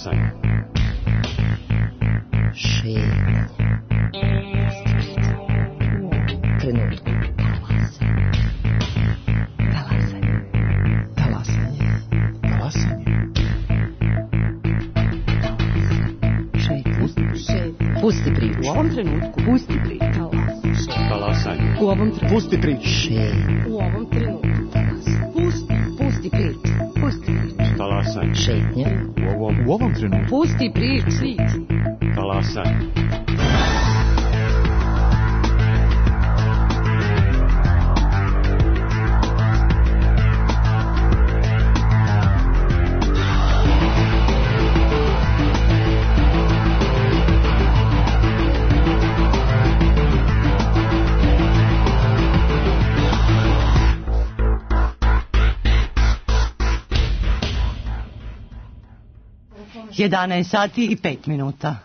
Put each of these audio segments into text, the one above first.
Talasanje. Šetnja. Trenutku. Pusti priču. U ovom trenutku. Pusti priču. Talasanje. U ovom trenutku. Pusti priču. U ovom trenutku. Pusti priču. Pusti priču. Talasanje. Šetnja. U ovom trenutku. Pusti priču. Talasanje. Jedanaest sati i 5 minuta.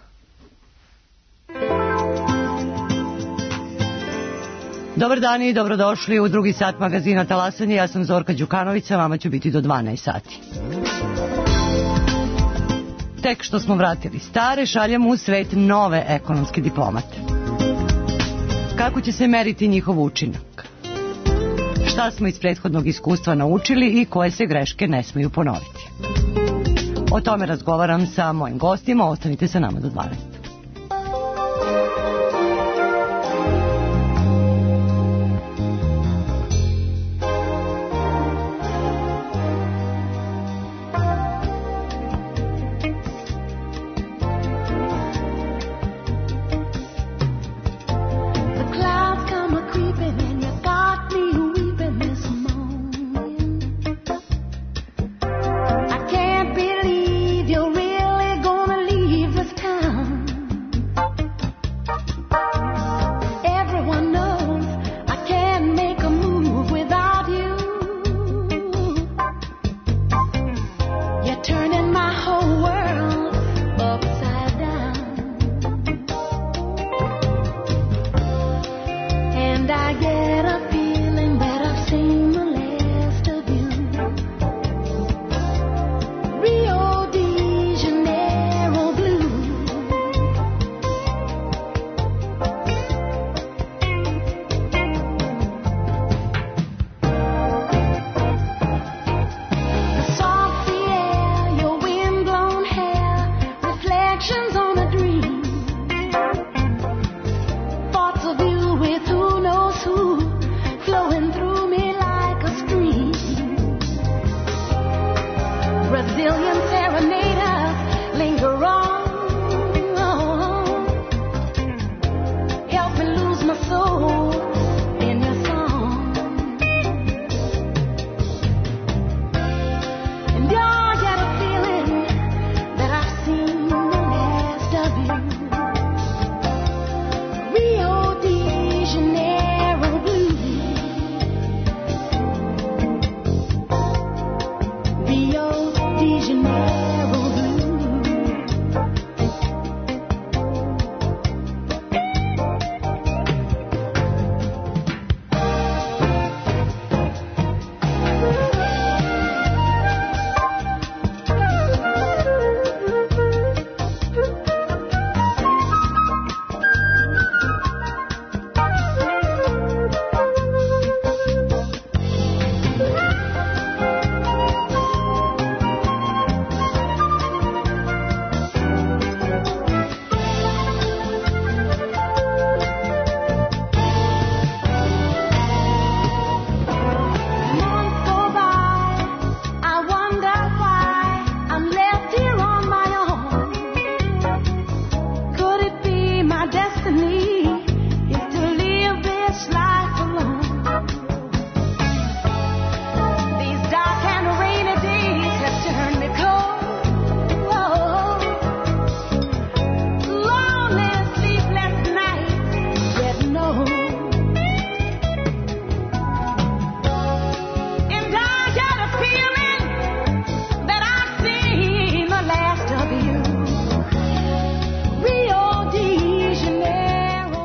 Dobar dan i dobrodošli u drugi sat magazina Talasanje. Ja sam Zorka Đukanović, a vama ću biti do 12 sati. Tek što smo vratili stare, šaljemo u svet nove ekonomske diplomate. Kako će se meriti njihov učinak? Šta smo iz prethodnog iskustva naučili i koje se greške ne smeju ponoviti? O tome razgovaram sa mojim gostima, ostanite sa nama do 12. Town.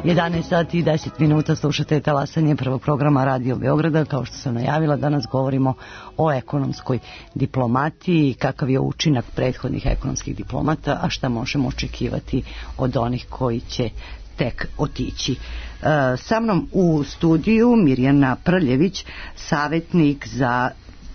11 sati i 10 minuta slušate talasanje prvog programa Radio Beograda. Kao što sam najavila, danas govorimo o ekonomskoj diplomatiji, kakav je učinak prethodnih ekonomskih diplomata, a šta možemo očekivati od onih koji će tek otići. Sa mnom u studiju Mirjana Prljević, savjetnik za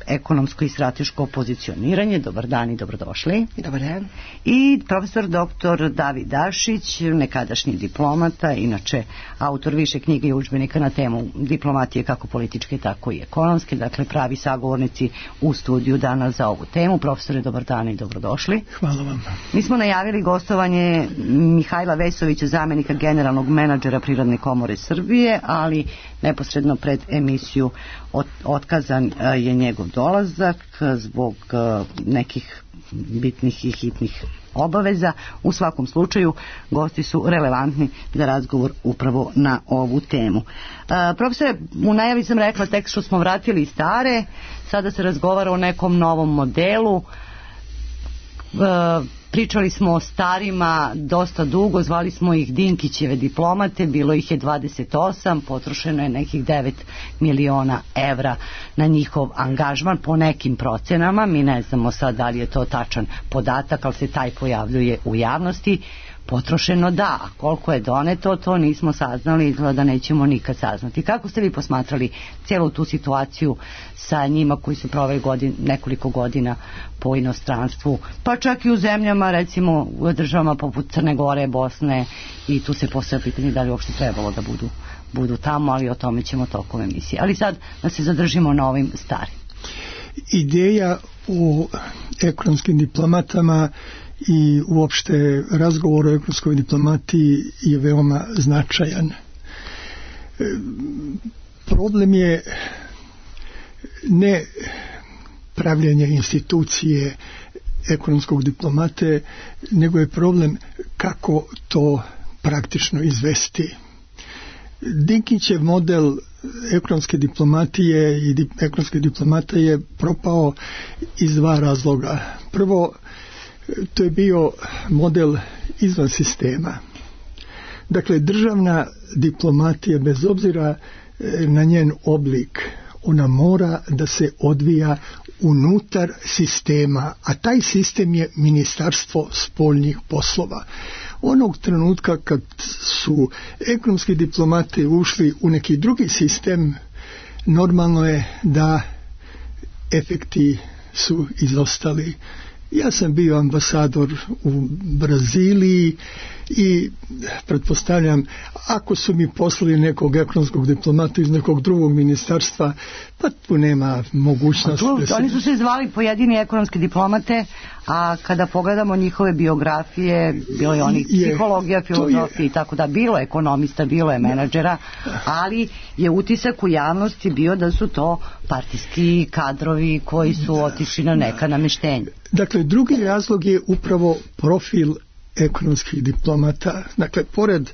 ekonomsko i strateško pozicioniranje. Dobar dan i dobrodošli. Dobar dan. I profesor dr. David Dašić, nekadašnji diplomata, inače autor više knjiga i udžbenika na temu diplomatije kako političke, tako i ekonomske. Dakle, pravi sagovornici u studiju danas za ovu temu. Profesore, dobar dan i dobrodošli. Hvala vam. Mi smo najavili gostovanje Mihajla Vesovića, zamjenika generalnog menadžera Privredne komore Srbije, ali neposredno pred emisiju otkazan je njegov dolazak zbog nekih bitnih i hitnih obaveza. U svakom slučaju gosti su relevantni za razgovor upravo na ovu temu. Profesore, u najavi sam rekla tek što smo vratili stare, sada se razgovara o nekom novom modelu. Pričali smo o starima dosta dugo, zvali smo ih Dinkićeve diplomate, bilo ih je 28, potrošeno je nekih 9 miliona evra na njihov angažman po nekim procenama. Mi ne znamo sad da li je to tačan podatak, ali se taj pojavljuje u javnosti. Potrošeno da, a koliko je doneto, to nismo saznali, izgleda da nećemo nikad saznati. Kako ste vi posmatrali cijelu tu situaciju sa njima koji su proveli nekoliko godina po inostranstvu, pa čak i u zemljama, recimo u državama poput Crne Gore, Bosne, i tu se postavlja pitanje da li uopšte trebalo da budu tamo, ali o tome ćemo tokom emisije. Ali sad da se zadržimo na ovim starim. Ideja u ekonomskim diplomatama i uopšte razgovor o ekonomskoj diplomatiji je veoma značajan. Problem je ne pravljenje institucije ekonomskog diplomate, nego je problem kako to praktično izvesti. Dinkićev model ekonomske diplomatije i ekonomske diplomate je propao iz dva razloga. Prvo, to je bio model izvan sistema. Dakle, državna diplomatija, bez obzira na njen oblik, ona mora da se odvija unutar sistema, a taj sistem je Ministarstvo spoljnih poslova. Onog trenutka kad su ekonomski diplomati ušli u neki drugi sistem, normalno je da efekti su izostali. Ja sam bio ambasador u Braziliji i pretpostavljam, ako su mi poslali nekog ekonomskog diplomata iz nekog drugog ministarstva, pa tu nema mogućnosti. Oni su se zvali pojedini ekonomski diplomate, a kada pogledamo njihove biografije, bilo je onih psihologija, filozofije i tako da, bilo je ekonomista, bilo je menadžera, ali je utisak u javnosti bio da su to partijski kadrovi koji su otišli na neka namještenja. Dakle, drugi razlog je upravo profil ekonomskih diplomata. Dakle, pored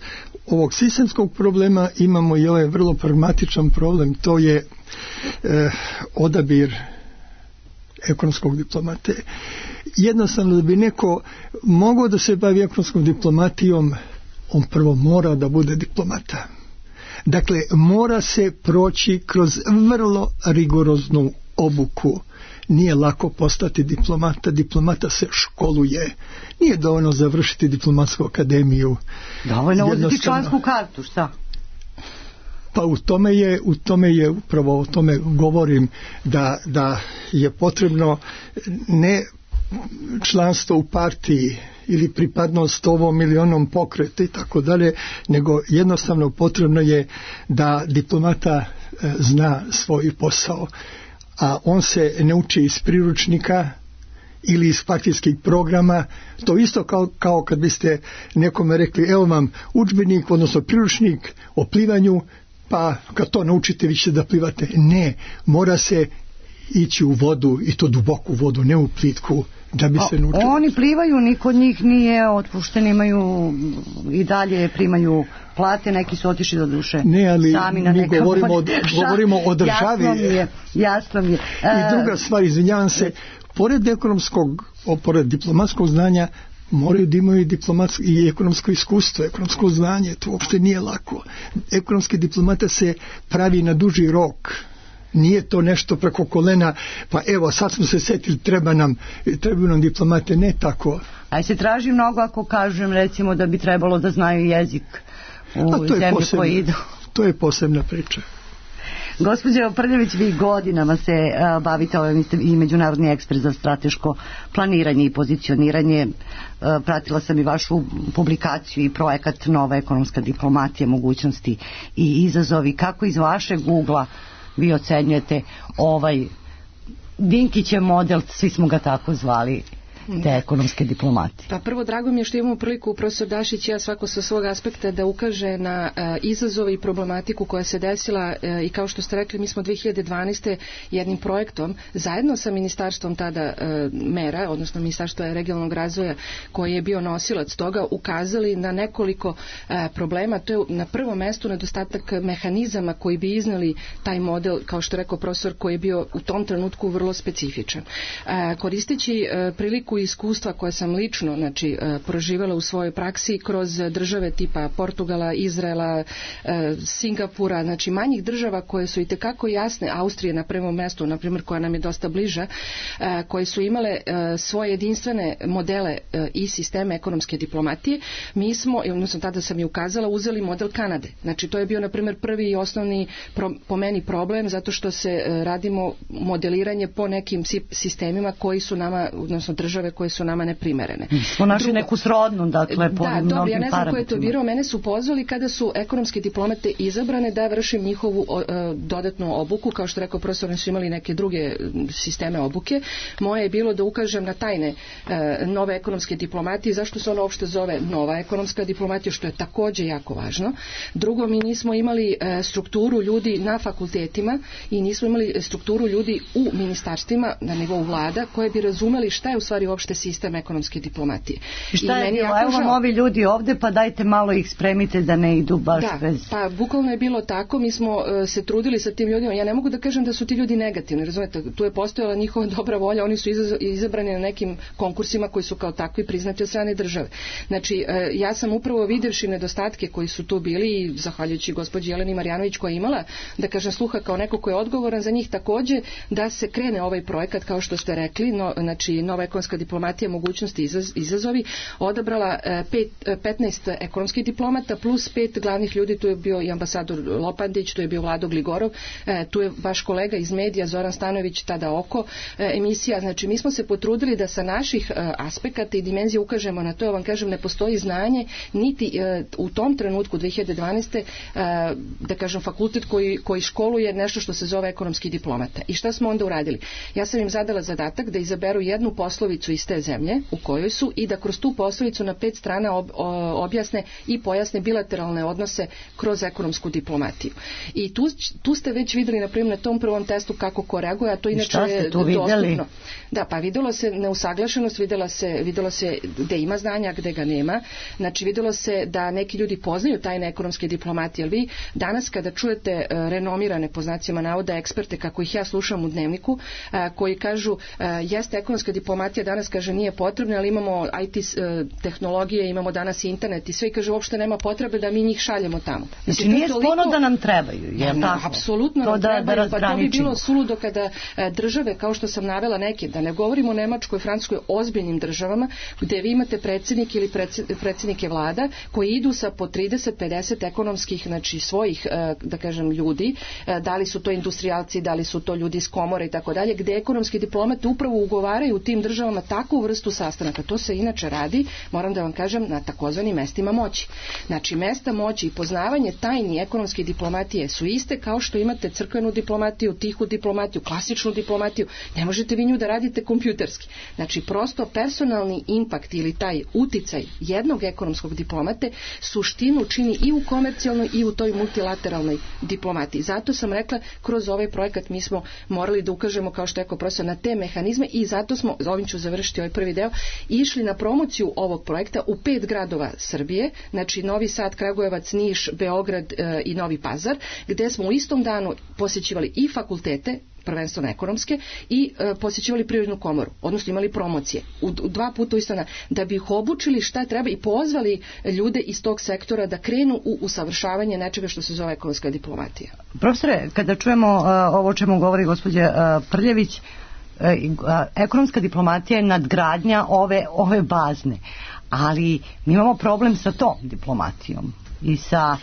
ovog sistemskog problema imamo i ovaj vrlo pragmatičan problem, to je odabir ekonomskog diplomate. Jednostavno, da bi neko mogao da se bavi ekonomskom diplomatijom, on prvo mora da bude diplomata. Dakle, mora se proći kroz vrlo rigoroznu obuku. Nije lako postati diplomata, diplomata se školuje. Nije dovoljno završiti diplomatsku akademiju. Dovoljno uzeti člansku kartu, šta? Pa u tome je upravo o tome govorim, da je potrebno ne članstvo u partiji ili pripadnost ovom ili onom pokretu i tako dalje, nego jednostavno potrebno je da diplomata zna svoj posao, a on se ne uči iz priručnika ili iz partijskih programa. To isto kao kad biste nekome rekli, evo vam udžbenik, odnosno priručnik o plivanju, pa kad to naučite vi ćete da plivate. Ne, mora se ići u vodu, i to duboku vodu, ne u plitku, da bi se naučili. Oni plivaju, niko od njih nije otpušten, imaju i dalje primaju plate, neki su otišli do duše. Ne, ali mi govorimo o državi. Jasno mi je. I druga stvar, izvinjavam se, pored diplomatskog znanja, moraju da imaju diplomatsko i ekonomsko iskustvo, ekonomsko znanje, to uopšte nije lako. Ekonomski diplomata se pravi na duži rok. Nije to nešto preko kolena, pa evo sad smo se setili, treba nam diplomate, ne tako. A se traži mnogo ako kažem recimo da bi trebalo da znaju jezik u zemlji koji idu. To je posebna priča. Gospođo Prljević, vi godinama se bavite, vi ste i međunarodni ekspert za strateško planiranje i pozicioniranje. Pratila sam i vašu publikaciju i projekat Nova ekonomska diplomatija, mogućnosti i izazovi. Kako iz vašeg ugla vi ocenjujete ovaj Dinkićev model, svi smo ga tako zvali, te ekonomske diplomatije? Pa prvo, drago mi je što imamo priliku, profesor Dašić i ja, svako sa svog aspekta, da ukaže na izazove i problematiku koja se desila i kao što ste rekli, mi smo 2012. jednim projektom zajedno sa ministarstvom tada mera, odnosno ministarstva regionalnog razvoja koji je bio nosilac toga, ukazali na nekoliko problema. To je na prvom mestu nedostatak mehanizama koji bi iznali taj model, kao što je rekao profesor, koji je bio u tom trenutku vrlo specifičan. Koristeći priliku iskustva koje sam lično proživala u svojoj praksi kroz države tipa Portugala, Izraela, Singapura, manjih država koje su itekako jasne, Austrije na prvom mestu, na primjer, koja nam je dosta bliža, koje su imale svoje jedinstvene modele i sisteme ekonomske diplomatije. Mi smo, odnosno tada sam i ukazala, uzeli model Kanade. To je bio, na primjer, prvi i osnovni po meni problem, zato što se radimo modeliranje po nekim sistemima koji su nama, odnosno države koje su nama neprimerene. Smo našli neku srodnu, dakle, po mnogim parametrima. Ja ne znam ko je to birao, mene su pozvali kada su ekonomske diplomate izabrane da vršim njihovu dodatnu obuku, kao što rekao profesor, oni su imali neke druge sisteme obuke. Moje je bilo da ukažem na tajne nove ekonomske diplomatije, zašto se ono uopšte zove nova ekonomska diplomatija, što je takođe jako važno. Drugo, mi nismo imali strukturu ljudi na fakultetima i nismo imali strukturu ljudi u ministarstvima na nivou vlada koje bi razumeli šta je u stvari uopšte sistem ekonomske diplomatije. I šta je bilo? Evo vam ovi ljudi ovde, pa dajte malo ih spremite da ne idu baš bez... Pa bukvalno je bilo tako, mi smo se trudili sa tim ljudima. Ja ne mogu da kažem da su ti ljudi negativni, razumete, tu je postojala njihova dobra volja, oni su izabrani na nekim konkursima koji su kao takvi priznati od strane države. Ja sam upravo videvši nedostatke koji su tu bili i zahvaljujući gospođi Jeleni Marjanović koja je imala, da kažem, sluha kao neko ko je odgovoran za njih takođe, da se krene ovaj projekat, kao što ste rekli, Nova ekonomska diplomatija, mogućnosti i izazovi, odabrala 15 ekonomskih diplomata plus 5 glavnih ljudi, tu je bio i ambasador Lopandić, tu je bio Vlado Gligorov, tu je vaš kolega iz medija Zoran Stanojević, tada Oko emisija. Mi smo se potrudili da sa naših aspekata i dimenzija ukažemo na to. Ja vam kažem, ne postoji znanje niti u tom trenutku 2012. Da kažem, fakultet koji školuje nešto što se zove ekonomski diplomata. I šta smo onda uradili? Ja sam im zadala zadatak da izaberu jednu poslovicu iz te zemlje u kojoj su i da kroz tu poslovicu na 5 strana objasne i pojasne bilateralne odnose kroz ekonomsku diplomatiju. I tu ste već videli, na primjer, na tom prvom testu kako ko reaguje, a to inače je dostupno. Da, pa videlo se neusaglašenost, videlo se gde ima znanja, gde ga nema. Videlo se da neki ljudi poznaju tajne ekonomske diplomatije, jer vi danas kada čujete renomirane, po znacima navoda, eksperte, kako ih ja slušam u Dnevniku, koji kažu, jeste ekonomska diplomatija danas, kaže, nije potrebna, ali imamo IT tehnologije, imamo danas internet i sve, i kaže, uopšte nema potrebe da mi njih šaljemo tamo. Nije sporno da nam trebaju, je li tako? Apsolutno nam trebaju, pa to bi bilo suludo kada države, kao što sam navela neke, da ne govorimo o Nemačkoj, Francuskoj, ozbiljnim državama, gde vi imate predsjednike ili predsjednike vlada koji idu sa po 30-50 ekonomskih, svojih, da kažem, ljudi, da li su to industrijalci, da li su to ljudi iz komore i tako dalje, gde ekonomski diplomati upravo ugovaraju u tim državama takvu vrstu sastanaka. To se inače radi, moram da vam kažem, na takozvanim mestima moći. Mesta moći i poznavanje tajni ekonomske diplomatije su iste kao što imate crkvenu diplomatiju, tihu diplomatiju, klasičnu diplomatiju. Ne možete vi nju da radite kompjuterski. Prosto personalni impakt ili taj uticaj jednog ekonomskog diplomate suštinu čini i u komercijalnoj i u toj multilateralnoj diplomatiji. Zato sam rekla, kroz ovaj projekat mi smo morali da ukažemo, kao što je rekao profesor, na te mehanizme i zato smo, ovim ću završiti ovaj prvi deo, išli na promociju ovog projekta u 5 gradova Srbije, Novi Sad, Kragujevac, Niš, Beograd i Novi Pazar, gde smo u istom danu posjećivali i fakultete prvenstveno ekonomske, i posjećivali Privrednu komoru, odnosno imali promocije u 2 puta u istana, da bi ih obučili šta treba i pozvali ljude iz tog sektora da krenu u usavršavanje nečega što se zove ekonomska diplomatija. Profesore, kada čujemo ovo o čemu govori gospođa Prljević, ekonomska diplomatija je nadgradnja ove bazne, ali mi imamo problem sa tom diplomatijom i sa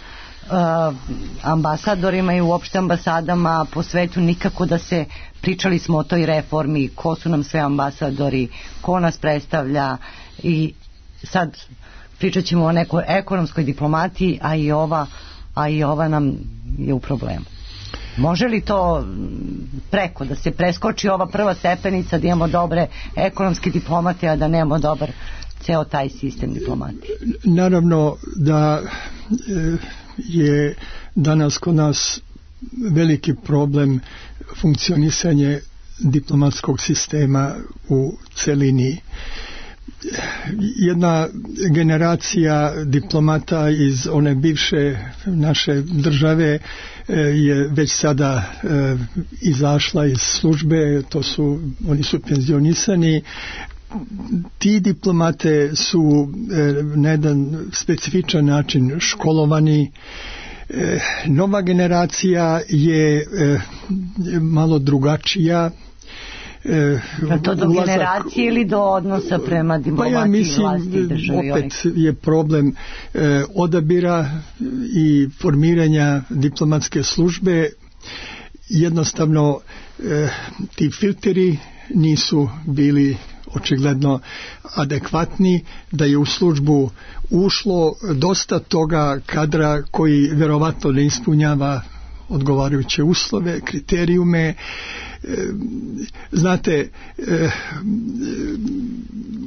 ambasadorima i uopšte ambasadama po svetu. Nikako da se, pričali smo o toj reformi, ko su nam sve ambasadori, ko nas predstavlja, i sad pričat ćemo o nekoj ekonomskoj diplomatiji, a i ova nam je u problemu. Može li to preko da se preskoči ova prva stepenica, da imamo dobre ekonomske diplomate, a da nemamo dobar ceo taj sistem diplomatije? Naravno da je danas kod nas veliki problem funkcionisanje diplomatskog sistema u celini. Jedna generacija diplomata iz one bivše naše države je već sada izašla iz službe, oni su penzionisani. Ti diplomate su na jedan specifičan način školovani. Nova generacija je malo drugačija. To do generacije ili do odnosa prema diplomatiji, vlasti i državi? Opet je problem odabira i formiranja diplomatske službe. Jednostavno ti filteri nisu bili očigledno adekvatni, da je u službu ušlo dosta toga kadra koji verovatno ne ispunjava odgovarajuće uslove, kriterijume. Znate,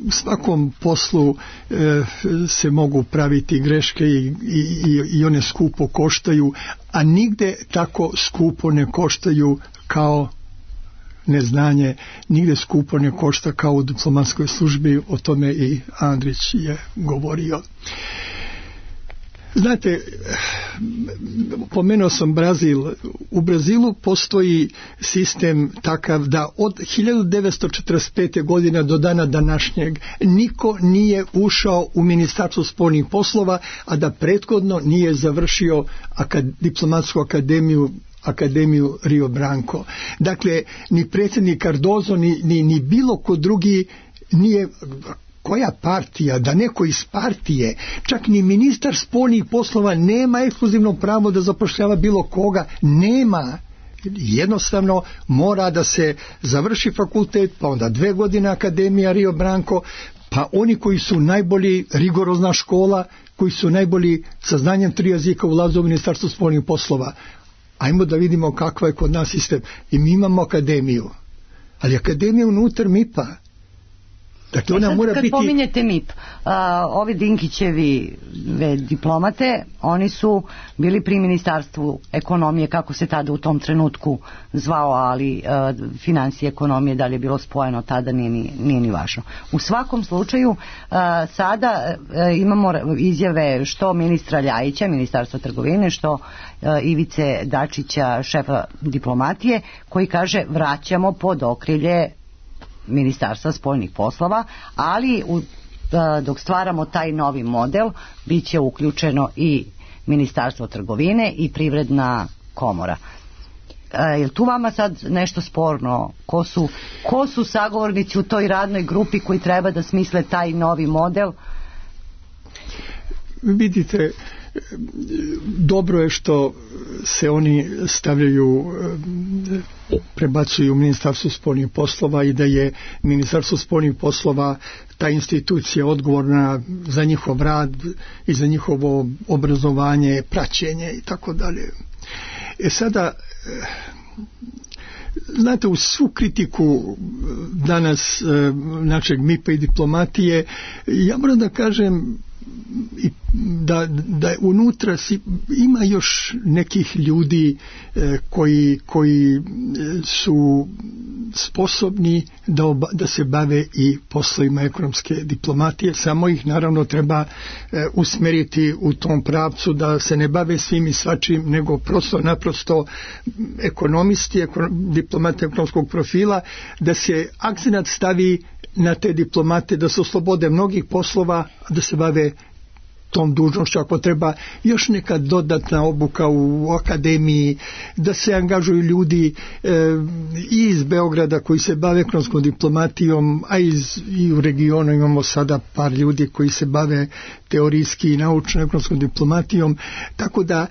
u svakom poslu se mogu praviti greške i one skupo koštaju, a nigde tako skupo ne koštaju kao neznanje, nigde skupo ne košta kao u diplomatskoj službi. O tome i Andrić je govorio. Znate, pomenuo sam Brazil. U Brazilu postoji sistem takav da od 1945. godine do dana današnjeg niko nije ušao u Ministarstvo spoljnih poslova, a da prethodno nije završio diplomatsku akademiju Rio Branco. Dakle, ni predsjednik Cardozo, ni bilo ko drugi nije, koja partija, da neko iz partije, čak ni ministar spoljnih poslova nema ekskluzivno pravo da zapošljava bilo koga, nema. Jednostavno mora da se završi fakultet, pa onda 2 godine akademija Rio Branco, pa oni koji su najbolji, rigorozna škola, koji su najbolji sa znanjem 3 jezika ulaze u Ministarstvo spoljnih poslova. Ajmo da vidimo kakva je kod nas sistem. I mi imamo akademiju, ali akademija unutar MIP-a. Dakle, ona mora kad biti... pominjete MIP, ovi Dinkićevi diplomate, oni su bili pri Ministarstvu ekonomije, kako se tada u tom trenutku zvao, ali financije ekonomije, da li je bilo spojeno tada, nije ni važno. U svakom slučaju, sada imamo izjave što ministra Ljajića, Ministarstva trgovine, što Ivice Dačića, šefa diplomatije, koji kaže vraćamo pod okrilje Ministarstva spoljnih poslova, ali dok stvaramo taj novi model bit će uključeno i Ministarstvo trgovine i Privredna komora. Je tu vama sad nešto sporno? Ko su sagovornici u toj radnoj grupi koji treba da smisle taj novi model? Vidite, dobro je što se oni stavljaju, prebacuju u Ministarstvo spoljnih poslova i da je Ministarstvo spoljnih poslova ta institucija odgovorna za njihov rad i za njihovo obrazovanje, praćenje i tako dalje. Sada, znate, u svu kritiku danas našeg MIP-a i diplomatije, ja moram da kažem da unutra ima još nekih ljudi koji su sposobni da se bave i poslovima ekonomske diplomatije, samo ih naravno treba usmeriti u tom pravcu da se ne bave svim i svačim, nego prosto naprosto ekonomisti, diplomati ekonomskog profila, da se akcenat stavi na te diplomate, da se oslobode mnogih poslova, da se bave tom dužnošću, ako treba još neka dodatna obuka u akademiji, da se angažuju ljudi i iz Beograda koji se bave ekonomskom diplomatijom, a i u regionu imamo sada par ljudi koji se bave teorijski i naučno ekonomskom diplomatijom, tako da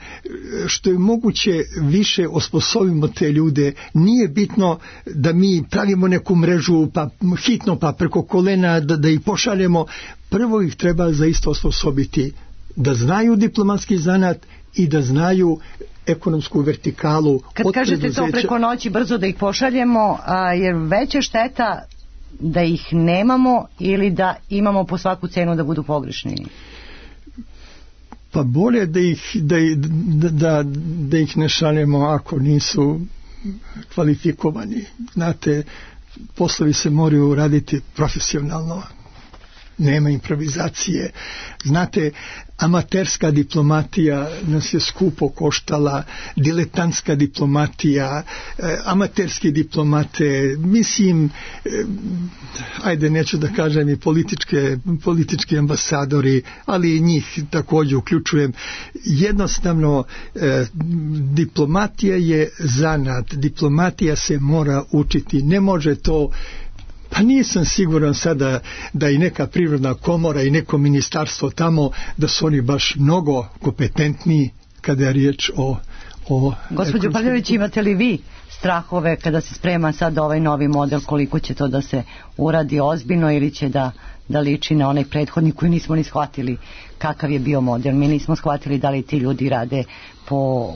što je moguće više osposobimo te ljude. Nije bitno da mi pravimo neku mrežu pa hitno pa preko kolena da ih pošaljemo. Prvo ih treba zaista osposobiti da znaju diplomatski zanat i da znaju ekonomsku vertikalu. Kad kažete to preko noći brzo da ih pošaljemo, jer veća šteta da ih nemamo ili da imamo po svaku cenu da budu pogrešni? Pa bolje da ih ne šaljemo ako nisu kvalifikovani. Znate, poslovi se moraju raditi profesionalno. Nema improvizacije. Znate, amaterska diplomatija nas je skupo koštala, diletantska diplomatija, amaterski diplomate, mislim, ajde neću da kažem i politički ambasadori, ali i njih također uključujem. Jednostavno, diplomatija je zanat, diplomatija se mora učiti, ne može to. Pa nisam siguran sada da i neka privredna komora i neko ministarstvo tamo da su oni baš mnogo kompetentniji kada je riječ o Gospođo Pavljević, imate li vi strahove kada se sprema sad ovaj novi model, koliko će to da se uradi ozbiljno ili će da liči na onaj prethodni koji nismo ni shvatili kakav je bio model? Mi nismo shvatili da li ti ljudi rade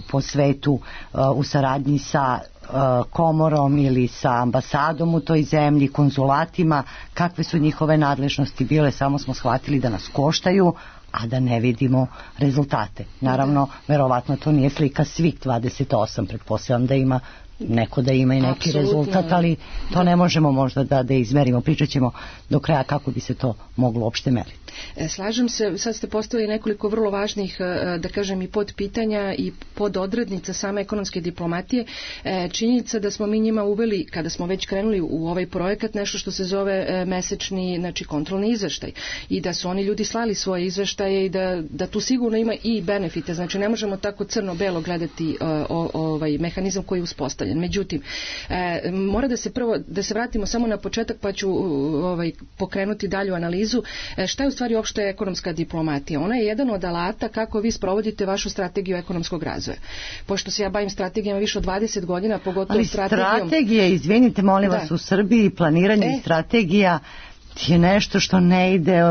po svetu u saradnji sa komorom ili sa ambasadom u toj zemlji, konzulatima, kakve su njihove nadležnosti bile, samo smo shvatili da nas koštaju, a da ne vidimo rezultate. Naravno, verovatno to nije slika svih 28, pretpostavljam da ima neko da ima i neki Apsolutno. rezultat, ali to ne možemo možda da izmerimo. Pričat ćemo do kraja kako bi se to moglo uopšte meriti. Slažem se, sad ste postavili nekoliko vrlo važnih, da kažem, i podpitanja i pododrednica same ekonomske diplomatije. Činjenica da smo mi njima uveli, kada smo već krenuli u ovaj projekat, nešto što se zove mesečni, znači kontrolni izveštaj, i da su oni ljudi slali svoje izveštaje i da tu sigurno ima i benefite, znači ne možemo tako crno-belo gledati ovaj mehanizam koji je uspostavljen. Međutim, mora da se vratimo samo na početak, pa ću pokrenuti dalju analizu. Šta je u stvari uopšte ekonomska diplomatija? Ona je jedan od alata kako vi sprovodite vašu strategiju ekonomskog razvoja. Pošto se ja bavim strategijama više od 20 godina, pogotovo ali strategije, izvinite molim vas, u Srbiji planiranje strategija je nešto što ne ide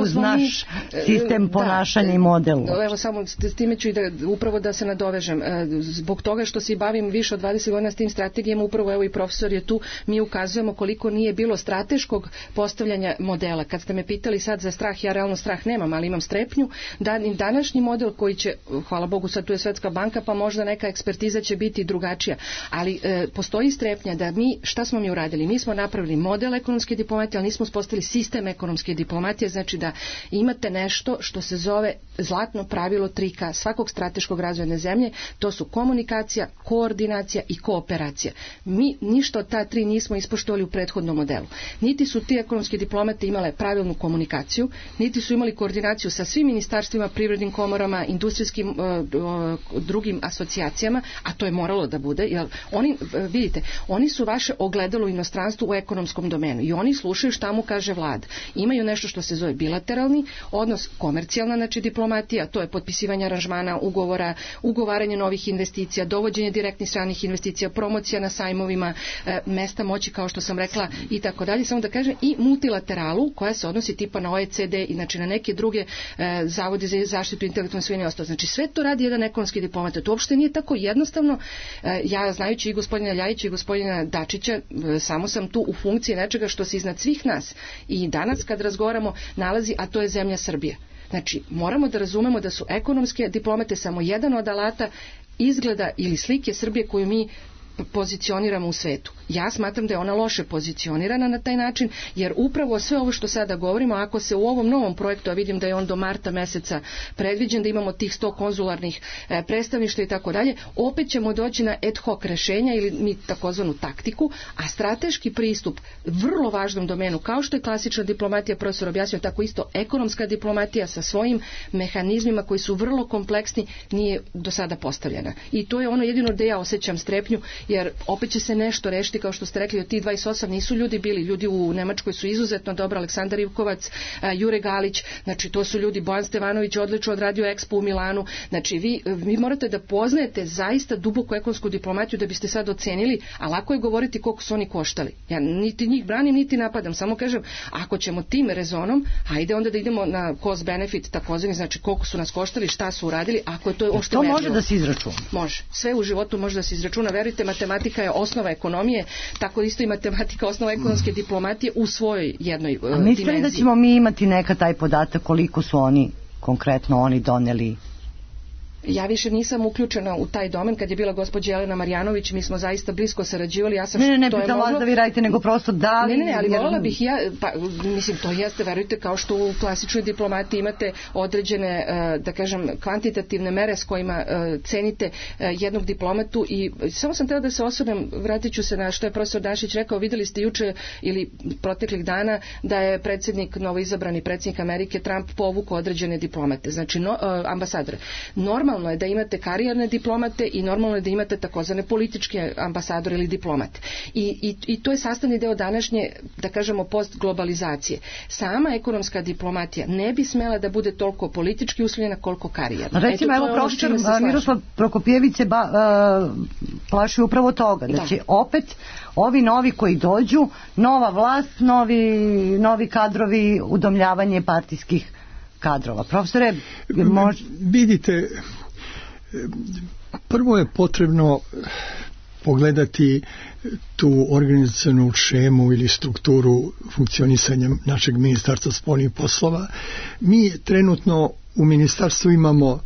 uz naš sistem ponašanja i modelu. Evo samo s time ću i upravo da se nadovežem. Zbog toga što se bavim više od 20 godina s tim strategijama, upravo evo i profesor je tu, mi ukazujemo koliko nije bilo strateškog postavljanja modela. Kad ste me pitali sad za strah, ja realno strah nemam, ali imam strepnju. Današnji model koji će, hvala Bogu, sad tu je Svetska banka, pa možda neka ekspertiza će biti drugačija, ali postoji strepnja da šta smo mi uradili? Mi smo napravili model ekonomske diplomatije, ali nismo uspostavili sistem ekonomske diplomatije, znači da imate nešto što se zove zlatno pravilo 3K svakog strateškog razvojne zemlje, to su komunikacija, koordinacija i kooperacija. Mi ništa od ta 3 nismo ispoštovali u prethodnom modelu. Niti su ti ekonomski diplomate imale pravilnu komunikaciju, niti su imali koordinaciju sa svim ministarstvima, privrednim komorama, industrijskim drugim asocijacijama, a to je moralo da bude, jer oni, vidite, oni su vaše ogledalo u inostranstvu u ekonomskom domenu i oni slušaju šta mu kaže vlada. Imaju nešto što se zove bilateralni odnos, komercijalna, znači diplomatija, to je potpisivanje aranžmana, ugovora, ugovaranje novih investicija, dovođenje direktnih stranih investicija, promocija na sajmovima, mesta moći, kao što sam rekla, i tako dalje. Samo da kažem, i multilateralu koja se odnosi tipa na OECD i znači na neke druge zavode za zaštitu intelektualne svojine i ostalo. Znači sve to radi jedan ekonomski diplomat. To uopšte nije tako jednostavno. Ja, znajući i gospodina Ljajića i gospodina Dačića, samo sam tu u funkciji nečega što se iznad svih nas i danas kad razgovaramo nalazi, a to je zemlja Srbija. Znači, moramo da razumemo da su ekonomske diplomate samo jedan od alata izgleda ili slike Srbije koju mi pozicioniramo u svetu. Ja smatram da je ona loše pozicionirana na taj način, jer upravo sve ovo što sada govorimo, ako se u ovom novom projektu, a vidim da je on do marta meseca predviđen, da imamo tih 100 konzularnih predstavništva i tako dalje, opet ćemo doći na ad hoc rešenja ili mi takozvanu taktiku, a strateški pristup vrlo važnom domenu, kao što je klasična diplomatija, profesor objasnio, tako isto ekonomska diplomatija sa svojim mehanizmima koji su vrlo kompleksni, nije do sada postavljena. I to je ono jedino gde ja osjećam strepnju, jer opet će se nešto rešiti, kao što ste rekli, od tih 28 nisu ljudi bili, ljudi u Nemačkoj su izuzetno dobro, Aleksandar Ivkovac, Jure Galić, znači to su ljudi, Bojan Stevanović odlično odradio Expo u Milanu, znači vi morate da poznajete zaista duboku ekonomsku diplomatiju da biste sad ocenili, a lako je govoriti koliko su oni koštali. Ja niti njih branim, niti napadam, samo kažem, ako ćemo tim rezonom, hajde onda da idemo na cost benefit takozvani, znači koliko su nas koštali, šta su uradili, ako je to ošte merljivo. To može da se izračuna. Može. Sve u životu može da se izračuna. Verujte, matematika je osnova ekonomije, tako isto i matematika osnova ekonomske diplomatije u svojoj jednoj dimenziji. Mislite da ćemo mi imati neka taj podatak koliko su oni, konkretno oni doneli? Ja više nisam uključena u taj domen. Kad je bila gospođa Jelena Marjanović, mi smo zaista blisko sarađivali. Ja sam ne pitam vas da vi radite, nego prosto da li... Ne, ali voljela bih ja, mislim, to jeste, verujte, kao što u klasičnoj diplomatiji imate određene, da kažem, kvantitativne mere s kojima cenite jednog diplomatu i samo sam htjela da se osvrnem, vratit ću se na što je profesor Dašić rekao, videli ste juče ili proteklih dana da je novoizabrani predsjednik Amerike Trump povukao određene diplomate, znači ambasadore. Normalno je da imate karijerne diplomate i normalno je da imate takozvane političke ambasadore ili diplomate. I to je sastavni deo današnje, da kažemo, postglobalizacije. Sama ekonomska diplomatija ne bi smela da bude toliko politički uslovljena koliko karijerna. Recimo, evo profesor Miroslav Prokopjević se plaši upravo toga, da će opet ovi novi koji dođu, nova vlast, novi kadrovi, udomljavanje partijskih kadrova. Profesore, vidite, prvo je potrebno pogledati tu organizacionu šemu ili strukturu funkcionisanja našeg ministarstva spoljnih poslova. Mi trenutno u ministarstvu imamo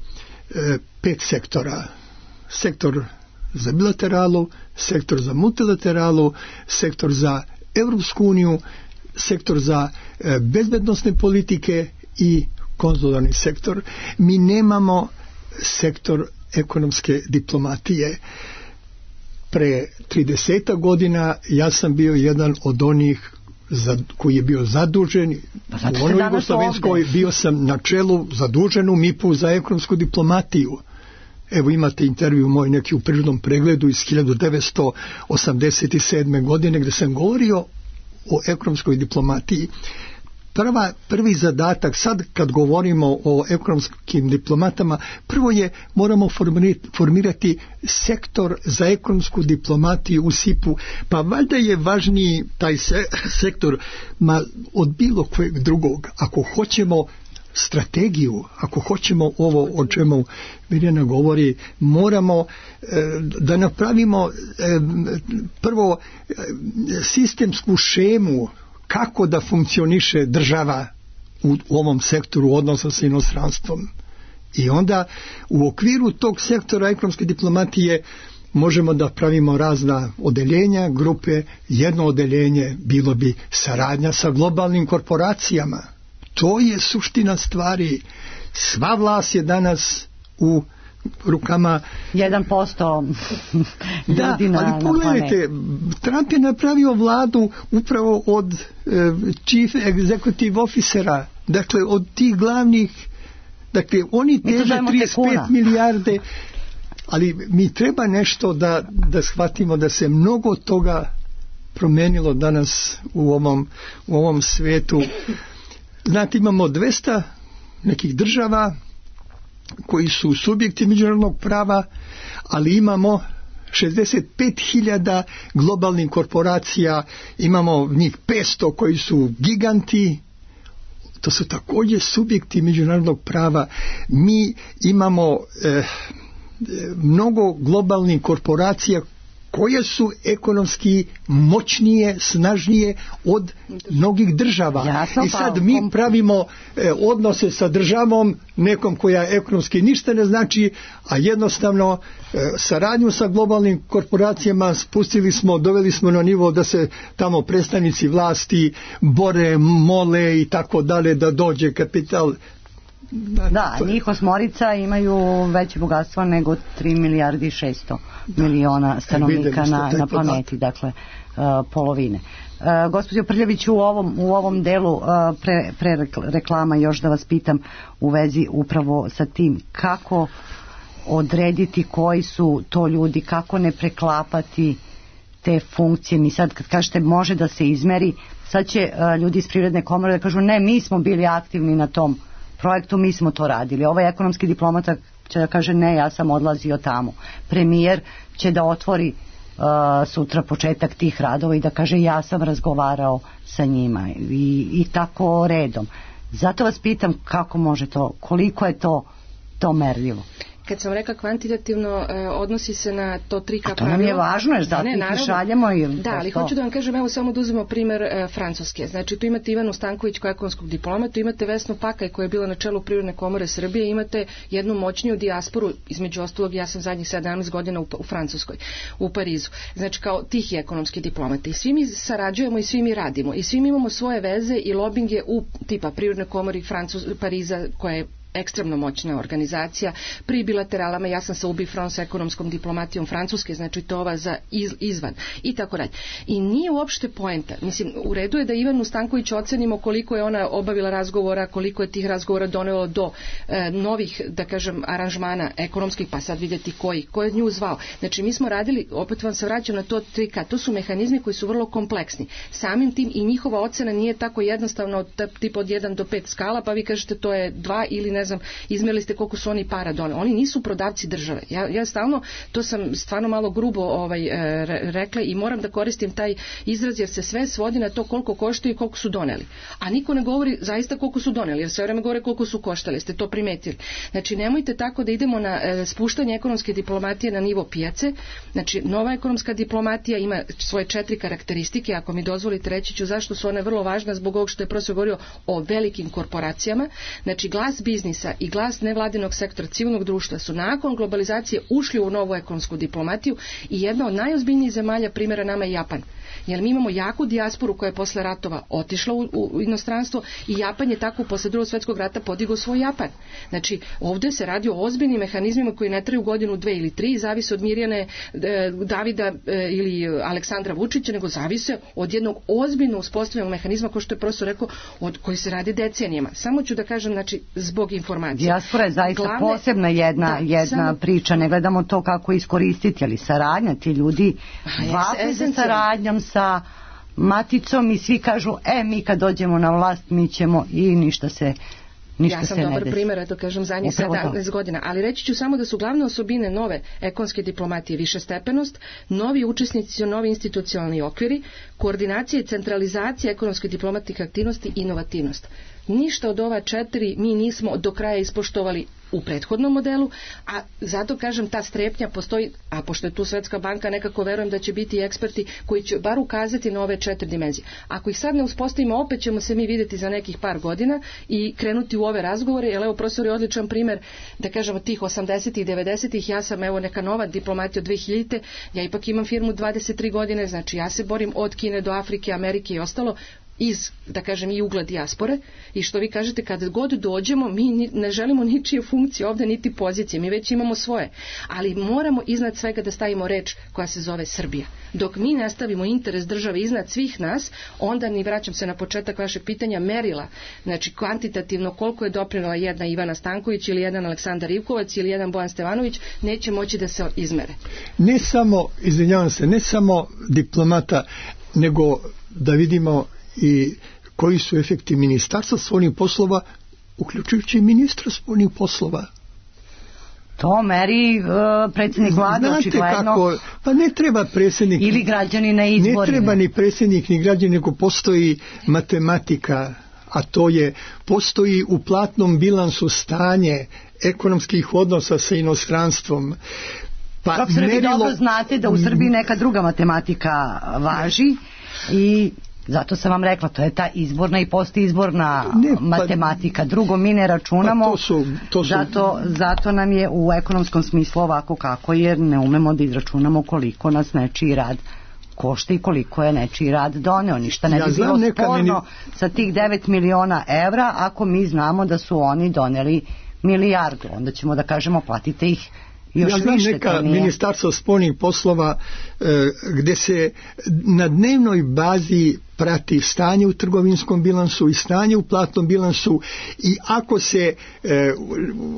5 sektora. Sektor za bilateralu, sektor za multilateralu, sektor za Evropsku uniju, sektor za bezbednosne politike i konzularni sektor. Mi nemamo sektor ekonomske diplomatije. Pre 30 godina ja sam bio jedan od onih koji je bio zadužen u onoj Jugoslovenskoj, bio sam na čelu zadužen u MIP-u za ekonomsku diplomatiju. Evo imate intervju moj neki u prirodnom pregledu iz 1987. godine gdje sam govorio o ekonomskoj diplomatiji. Prvi zadatak, sad kad govorimo o ekonomskim diplomatama, prvo je moramo formirati sektor za ekonomsku diplomatiju u SIP-u, pa valjda je važniji taj sektor od bilo kojeg drugog. Ako hoćemo strategiju, ako hoćemo ovo o čemu Mirjana govori, moramo da napravimo prvo sistemsku šemu kako da funkcioniše država u ovom sektoru odnosa sa inostranstvom. I onda u okviru tog sektora ekonomske diplomatije možemo da pravimo razna odeljenja, grupe. Jedno odeljenje bilo bi saradnja sa globalnim korporacijama. To je suština stvari. Sva vlast je danas u rukama 1% ljudi na ali pogledajte, Trump je napravio vladu upravo od chief executive officera, dakle od tih glavnih, dakle oni teže 35 milijarde, ali mi treba nešto da shvatimo da se mnogo toga promenilo danas u ovom svetu. Znate, imamo 200 nekih država koji su subjekti međunarodnog prava, ali imamo 65.000 globalnih korporacija, imamo njih 500 koji su giganti, to su također subjekti međunarodnog prava. Mi imamo mnogo globalnih korporacija koje su ekonomski moćnije, snažnije od mnogih država. Jasno, i sad mi pravimo odnose sa državom nekom koja ekonomski ništa ne znači, a jednostavno saradnju sa globalnim korporacijama doveli smo na nivo da se tamo predstavnici vlasti bore, mole i tako dalje da dođe kapital. Da, njih osmorica imaju veće bogatstvo nego 3 milijardi i 600 miliona stanovnika na planeti, dakle polovine. Gospođo Prljavić, u ovom delu pre reklama još da vas pitam u vezi upravo sa tim kako odrediti koji su to ljudi, kako ne preklapati te funkcije. Mi sad kad kažete može da se izmeri, sad će ljudi iz Privredne komore da kažu ne, mi smo bili aktivni na tom projektu, mi smo to radili. Ovaj ekonomski diplomata će da kaže ne, ja sam odlazio tamo. Premijer će da otvori sutra početak tih radova i da kaže ja sam razgovarao sa njima i tako redom. Zato vas pitam kako može to, koliko je to merljivo. Kad sam rekla kvantitativno, odnosi se na to 3K pravilo. To nam je važno, jer zato ih šaljemo. Da, ali hoću da vam kažem, evo samo da uzmemo primer Francuske. Znači, tu imate Ivanu Stanković kao ekonomskog diplomata, tu imate Vesnu Pakaj koja je bila na čelu Privredne komore Srbije, imate jednu moćniju dijasporu, između ostalog, ja sam zadnjih 17 godina u Francuskoj, u Parizu. Znači, kao tihi ekonomski diplomati. I svi mi sarađujemo i svi mi radimo. I svi mi imamo svoje veze i lobinge u tipa Privredne komori Pariza, koja je ekstremno moćna organizacija, pri bilateralama, ja sam sa UBI France ekonomskom diplomatijom Francuske, znači to ova za izvan i tako dalje. I nije uopšte poenta, mislim, u redu je da Ivanu Stanković ocenimo koliko je ona obavila razgovora, koliko je tih razgovora donelo do novih, da kažem, aranžmana ekonomskih, pa sad vidjeti ko je nju zvao. Znači mi smo radili, opet vam se vraćam na to 3K, to su mehanizmi koji su vrlo kompleksni. Samim tim i njihova ocena nije tako jednostavna od tipa od 1 do 5 skala, pa vi kažete to je 2 ili ne znam, izmjerili ste koliko su oni para doneli. Oni nisu prodavci države. Ja stalno, to sam stvarno malo grubo rekla i moram da koristim taj izraz jer se sve svodi na to koliko koštaju i koliko su doneli. A niko ne govori zaista koliko su doneli, jer sve vreme govore koliko su koštali. Ste to primetili. Znači nemojte tako da idemo na spuštanje ekonomske diplomatije na nivo pijace. Znači nova ekonomska diplomatija ima svoje 4 karakteristike. Ako mi dozvolite reći ću zašto su one vrlo važne zbog ovog što je profesor govorio o velikim korporacijama. Znači glas biznisa i glas nevladinog sektora civilnog društva su nakon globalizacije ušli u novu ekonomsku diplomatiju i jedna od najozbiljnijih zemalja primjera nama je Japan. Jer mi imamo jaku dijasporu koja je posle ratova otišla u inostranstvo i Japan je tako posle Drugog svjetskog rata podigao svoj Japan. Znači ovdje se radi o ozbiljnim mehanizmima koji ne traju godinu, 2 ili 3, zavise od Mirjane Davida ili Aleksandra Vučića, nego zavise od jednog ozbiljno uspostavljenog mehanizma, kao što je profesor rekao, od koji se radi decenijama. Samo ću da kažem, znači, zbog informacije. Dijaspora je zaista posebna jedna priča, ne gledamo to kako iskoristiti, ali saradnja, ti ljudi vape za saradnjom sa maticom i svi kažu, mi kad dođemo na vlast mi ćemo i ništa se ja sam dobar primjer, eto kažem, zadnjih 17 godina, ali reći ću samo da su glavne osobine nove ekonomske diplomatije višestepenost, novi učesnici, novi institucionalni okviri, koordinacija i centralizacija ekonomske diplomatike aktivnosti i inovativnost. Ništa od ova 4 mi nismo do kraja ispoštovali u prethodnom modelu, a zato kažem ta strepnja postoji, a pošto je tu Svetska banka, nekako verujem da će biti eksperti koji će bar ukazati na ove 4 dimenzije. Ako ih sad ne uspostavimo, opet ćemo se mi vidjeti za nekih par godina i krenuti u ove razgovore, jer evo profesor je odličan primjer, da kažemo tih 80-ih, 90-ih, ja sam evo neka nova diplomatija od 2000-te, ja ipak imam firmu 23 godine, znači ja se borim od Kine do Afrike, Amerike i ostalo, iz, da kažem, i ugla dijaspore i što vi kažete, kada god dođemo mi ne želimo ničije funkcije ovdje niti pozicije, mi već imamo svoje, ali moramo iznad svega da stavimo reč koja se zove Srbija. Dok mi nastavimo interes države iznad svih nas, onda ni vraćam se na početak vašeg pitanja, merila, znači kvantitativno koliko je doprinela jedna Ivana Stanković ili jedan Aleksandar Ivkovac ili jedan Bojan Stevanović, neće moći da se izmere. Ne samo, izvinjavam se, ne samo diplomata, nego da vidimo i koji su efekti ministarstva spoljnih poslova, uključujući ministra spoljnih poslova. To meri predsjednik vlade, očigledno. Pa ne treba predsjednik. Ili građani na izborima. Ne treba ni predsjednik, ni građani, nego postoji matematika, a to je, postoji u platnom bilansu stanje ekonomskih odnosa sa inostranstvom. Profesore, vi dobro znate da u Srbiji neka druga matematika važi i zato sam vam rekla, to je ta izborna i postizborna matematika. Drugo, mi ne računamo, zato nam je u ekonomskom smislu ovako kako, jer ne umemo da izračunamo koliko nas nečiji rad košta i koliko je nečiji rad doneo. Ništa ne bi bilo sporno sa tih 9 miliona evra ako mi znamo da su oni doneli milijardu. Onda ćemo da kažemo platite ih još više. Ja znam neka ministarstva spoljnih poslova gde se na dnevnoj bazi prati stanje u trgovinskom bilansu i stanje u platnom bilansu i ako se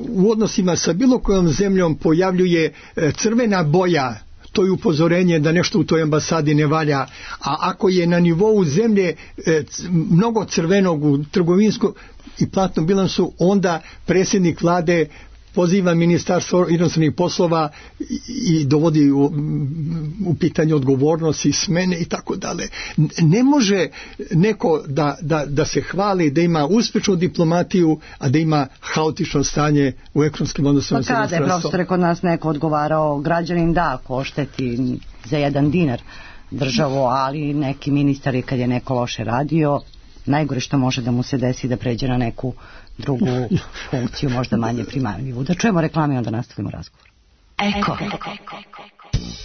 u odnosima sa bilo kojom zemljom pojavljuje crvena boja, to je upozorenje da nešto u toj ambasadi ne valja, a ako je na nivou zemlje mnogo crvenog u trgovinskom i platnom bilansu, onda predsjednik vlade poziva ministarstvo inostranih poslova i dovodi u pitanje odgovornost i smene i tako dalje. Ne može neko da se hvali da ima uspješnu diplomatiju, a da ima haotično stanje u ekonomskim odnosima. Pa kada je, profesore, kod nas neko odgovarao, građanin da košteti za 1 dinar državu, ali neki ministar je kad je neko loše radio, najgore što može da mu se desi da pređe na neku drugu funkciju, možda manje primamljivu. Da čujemo reklame i onda nastavimo razgovor. Eko.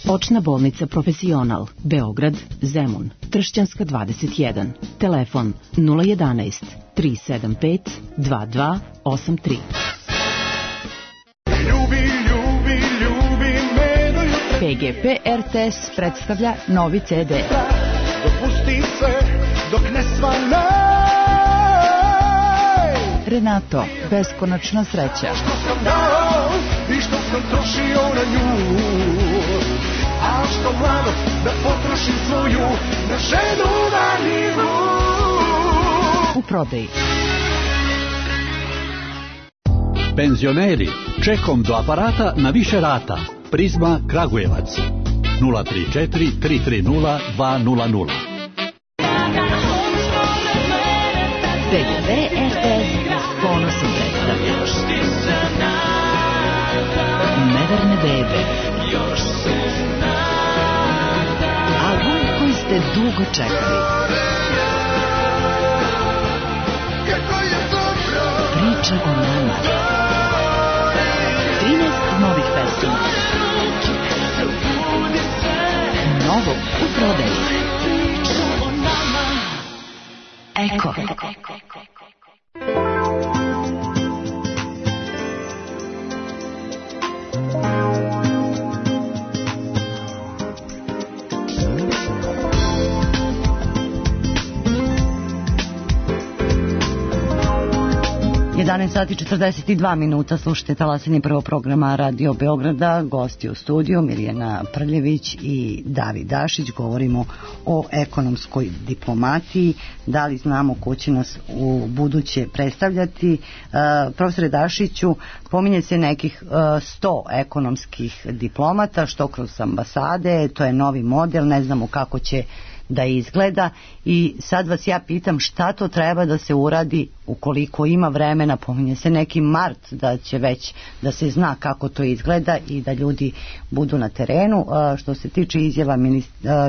Očna bolnica Profesional, Beograd, Zemun, Tršćanska 21, telefon 011 375 2283. PGP RTS predstavlja novi CD. Dopusti se dok ne svane. Renato, beskonačna sreća. Što sam dao i što sam trošio na nju, a što mladost da potrošim svoju na ženu marinu. U prodaji. Penzioneri, čekom do aparata na više rata. Prizma Kragujevac 034 330 200. PGP RTS ponosom predstavlja Neverne bebe, album koji ste dugo čekali, priča o nama, 13 novih pesama, novo u prodaji. Eko. Sati 42 minuta, slušajte talasanje prvog programa Radio Beograda, gosti u studiju Mirjana Prljević i David Dašić. Govorimo o ekonomskoj diplomatiji, da li znamo ko će nas u buduće predstavljati. Profesore Dašiću, pominje se nekih 100 ekonomskih diplomata, što kroz ambasade, to je novi model, ne znamo kako će da izgleda i sad vas ja pitam šta to treba da se uradi ukoliko ima vremena, pominje se neki mart da će već da se zna kako to izgleda i da ljudi budu na terenu. Što se tiče izjava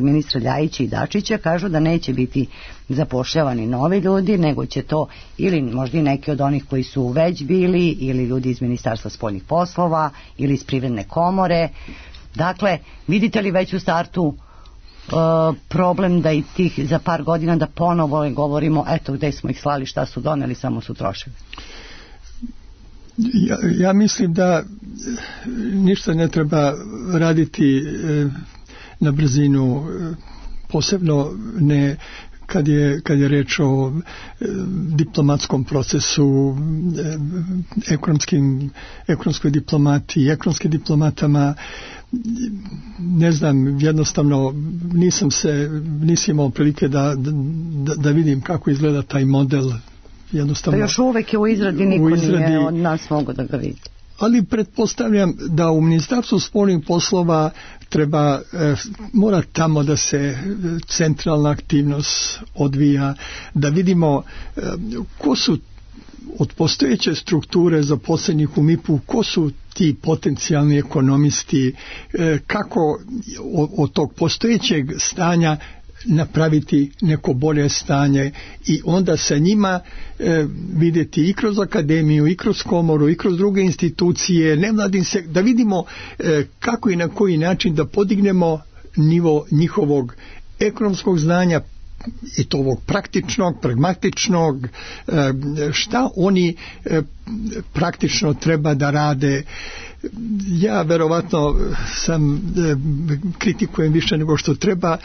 ministra Ljajića i Dačića, kažu da neće biti zapošljavani novi ljudi, nego će to ili možda i neki od onih koji su već bili ili ljudi iz Ministarstva spoljnih poslova ili iz Privredne komore. Dakle, vidite li već u startu problem da i tih za par godina da ponovo govorimo eto gde smo ih slali, šta su doneli, samo su trošili? Ja mislim da ništa ne treba raditi na brzinu, posebno ne kad je reč o diplomatskom procesu, ekonomskoj diplomatiji, ekonomskim diplomatama. Ne znam, jednostavno nisam imao prilike da vidim kako izgleda taj model. Jednostavno, pa još uvek je u izradi, niko nije od nas mogu da ga vidi. Ali pretpostavljam da u Ministarstvu spoljnih poslova mora tamo da se centralna aktivnost odvija, da vidimo ko su od postojeće strukture zaposlenih u MIP-u, ko su ti potencijalni ekonomisti, kako od tog postojećeg stanja napraviti neko bolje stanje i onda sa njima vidjeti i kroz akademiju, i kroz komoru, i kroz druge institucije, da vidimo kako i na koji način da podignemo nivo njihovog ekonomskog znanja i to ovog praktičnog, pragmatičnog, šta oni praktično treba da rade. Ja verovatno kritikujem više nego što treba,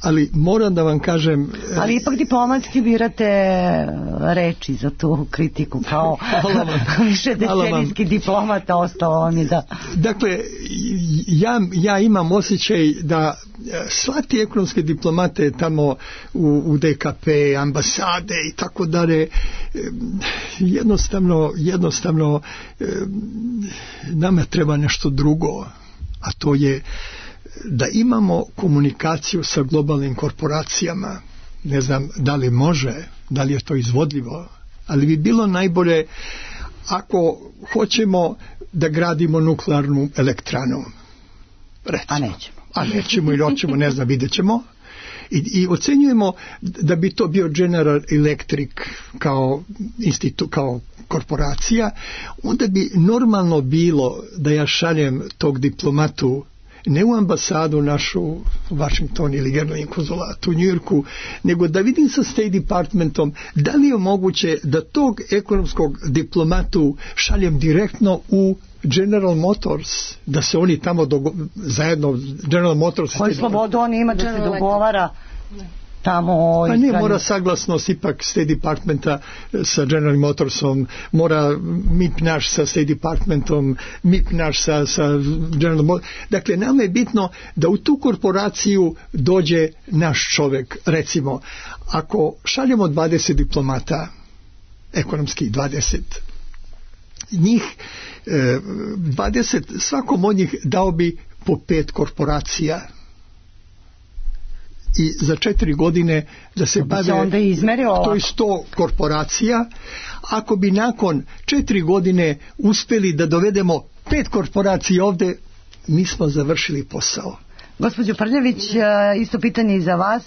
ali moram da vam kažem... Ali ipak diplomatski birate reči za tu kritiku, kao više decenijski diplomata ostalo vam je da... Dakle, ja imam osjećaj da sva ti ekonomske diplomate tamo u DKP, ambasade i tako dalje, jednostavno nama treba nešto drugo, a to je da imamo komunikaciju sa globalnim korporacijama. Ne znam da li može, da li je to izvodljivo, ali bi bilo najbolje ako hoćemo da gradimo nuklearnu elektranu. Recimo. A nećemo ili hoćemo, ne znam, vidjet ćemo. I ocenjujemo da bi to bio General Electric kao korporacija, onda bi normalno bilo da ja šaljem tog diplomatu ne u ambasadu našu u Washington ili generalni konzulat u Njujorku, nego da vidim sa State Departmentom da li je moguće da tog ekonomskog diplomatu šaljem direktno u General Motors, da se oni tamo zajedno General Motors... Koju slobodu on ima da se dogovara tamo... Pa ne, mora saglasnost ipak State Departmenta sa General Motorsom, mora MIP naš sa State Departmentom, MIP naš sa General Motors. Dakle, nama je bitno da u tu korporaciju dođe naš čovjek. Recimo, ako šaljemo 20 diplomata, ekonomskih 20, njih 20, svakom od njih dao bi po 5 korporacija i za 4 godine da se bave, to je 100 korporacija. Ako bi nakon 4 godine uspjeli da dovedemo 5 korporacija ovdje, mi smo završili posao. Gospođo Prljević, isto pitanje i za vas.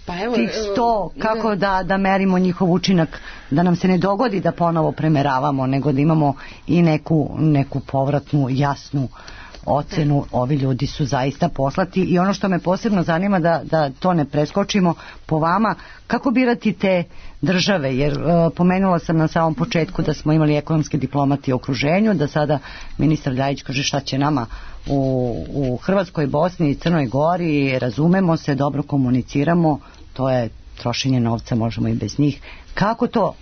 Pa evo, tih 100, kako da merimo njihov učinak, da nam se ne dogodi da ponovo premeravamo, nego da imamo i neku povratnu, jasnu ocenu, ovi ljudi su zaista poslati. I ono što me posebno zanima, da to ne preskočimo, po vama, kako birati te države, jer pomenula sam na samom početku da smo imali ekonomske diplomati u okruženju, da sada ministar Ljajić kaže šta će nama u Hrvatskoj, Bosni i Crnoj Gori, razumemo se, dobro komuniciramo, to je trošenje novca, možemo i bez njih. Kako to,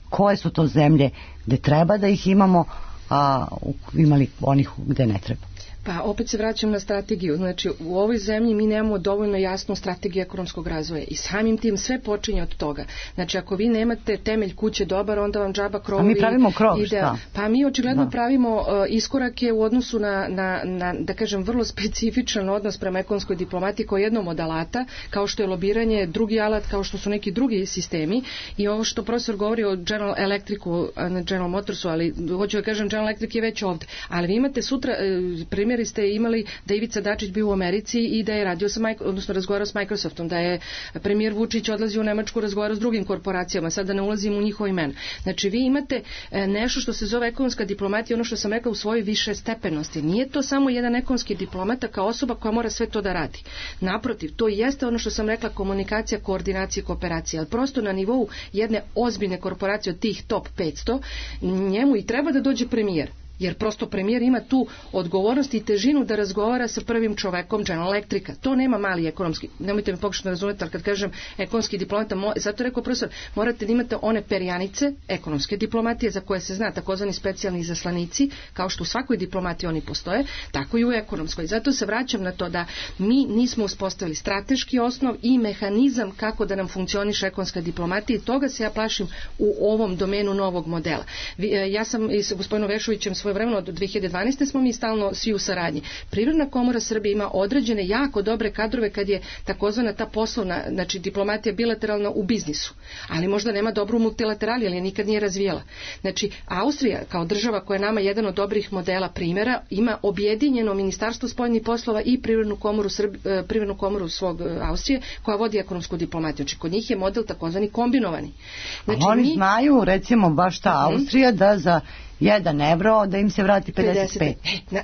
koje su to zemlje gde treba da ih imamo, a imali onih gde ne treba? Pa opet se vraćam na strategiju. Znači, u ovoj zemlji mi nemamo dovoljno jasnu strategiju ekonomskog razvoja i samim tim sve počinje od toga. Znači, ako vi nemate temelj kuće dobar, onda vam džaba krovovi... A mi pravimo krov, šta? Pa mi očigledno pravimo iskorake u odnosu na, da kažem, vrlo specifičan odnos prema ekonomskoj diplomatiji kao jednom od alata, kao što je lobiranje, drugi alat, kao što su neki drugi sistemi. I ovo što profesor govori o General Electricu, na General Motorsu, ali hoću da kažem, General Electric je već ovdje. Ali vi imate sutra primjer ste imali da Ivica Dačić bio u Americi i da je radio odnosno razgovarao s Microsoftom, da je premijer Vučić odlazio u Nemačku, razgovarao s drugim korporacijama, sad da ne ulazim u njihova imena. Znači vi imate nešto što se zove ekonomska diplomatija, ono što sam rekla, u svojoj više stepenosti. Nije to samo jedan ekonomski diplomata kao osoba koja mora sve to da radi. Naprotiv, to jeste ono što sam rekla, komunikacija, koordinacija, kooperacija, ali prosto na nivou jedne ozbiljne korporacije od tih top 500, njemu i treba da dođe premijer. Jer prosto premijer ima tu odgovornost i težinu da razgovara sa prvim čovekom General Electrica. To nema mali ekonomski, nemojte me pokušati razumjeti, ali kad kažem ekonomski diplomata, zato rekao profesor, morate da imate one perjanice ekonomske diplomatije za koje se zna, takozvani specijalni izaslanici, kao što u svakoj diplomatiji oni postoje, tako i u ekonomskoj. Zato se vraćam na to da mi nismo uspostavili strateški osnov i mehanizam kako da nam funkcioniše ekonomska diplomatija i toga se ja plašim u ovom domenu novog modela. Ja sam i sa gospodinom Vešovićem svojevremeno do 2012. smo mi stalno svi u saradnji. Privredna komora Srbije ima određene jako dobre kadrove kad je takozvana ta poslovna, znači diplomatija bilateralna u biznisu, ali možda nema dobru multilaterali, ali je nikad nije razvijala. Znači, Austrija kao država koja je nama jedan od dobrih modela primjera ima objedinjeno Ministarstvo spoljnih poslova i privrednu komoru svog Austrije koja vodi ekonomsku diplomatiju. Znači, kod njih je model takozvani kombinovani. Znači, oni znaju, recimo, baš ta Austrija da za 1 evro da im se vrati 55.